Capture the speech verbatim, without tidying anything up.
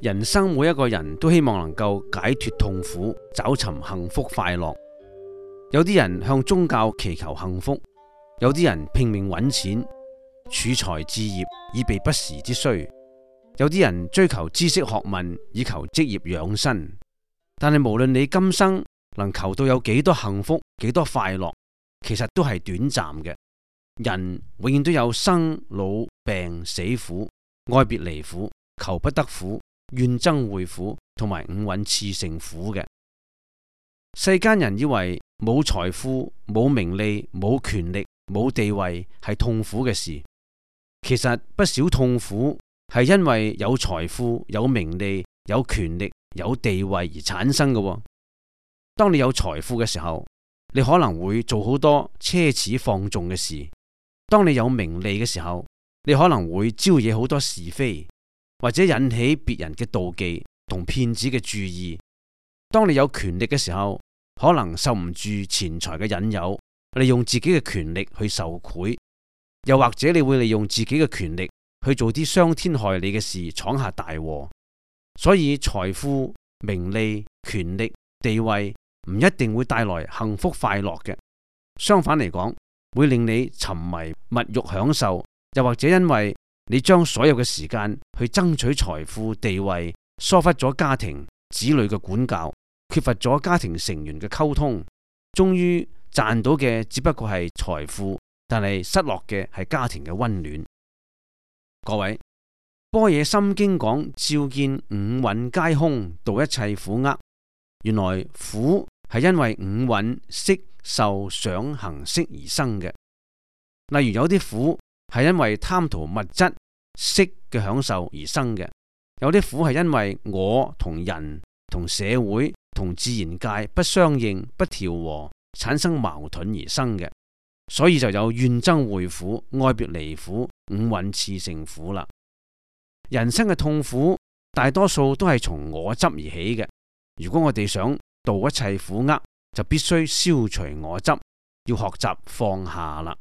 人生每一個人都希望能夠解脫痛苦，找尋幸福快樂。有啲人向宗教祈求幸福，有啲人拼命揾錢，儲財置業以備不時之需，有啲人追求知識學問以求職業養生。但係無論你今生能求到有幾多幸福，幾多快樂，其實都係短暫嘅。人永遠都有生老病死苦、愛別離苦、求不得苦、怨憎會苦同埋五蘊熾盛苦嘅。世間人以為冇財富、冇名利、冇權力、冇地位係痛苦嘅事，其實不少痛苦係因為有財富、有名利、有權力、有地位而產生嘅。當你有財富嘅時候，你可能會做好多奢侈放縱嘅事；當你有名利嘅時候，你可能會招惹好多是非，或者引起別人嘅妒忌同騙子嘅注意。當你有權力嘅時候，可能受唔住錢財嘅引誘，利用自己嘅權力去受賄，又或者你會利用自己嘅權力去做啲傷天害理嘅事，闖下大禍。所以財富、名利、權力、地位唔一定會帶來幸福快樂嘅，相反嚟講，會令你沉迷物欲享受，又或者因為你將所有嘅時間去爭取財富地位，疏忽咗家庭子女嘅管教，缺乏咗家庭成員嘅溝通，終於賺到嘅只不過係財富，但係失落嘅係家庭嘅溫暖。各位，般若心經講，照見五蘊皆空，度一切苦厄。原來苦係因為五蘊色受想行識而生嘅。例如有啲苦係因為貪圖物質色嘅享受而生嘅，有啲苦係因為我同人同社會同自然界不相應不調和，產生矛盾而生嘅。所以就有怨憎會苦、愛別離苦、五蘊熾盛苦啦。人生嘅痛苦大多數都係從我執而起嘅。如果我哋想度一切苦厄，就必須消除我執，要學習放下啦。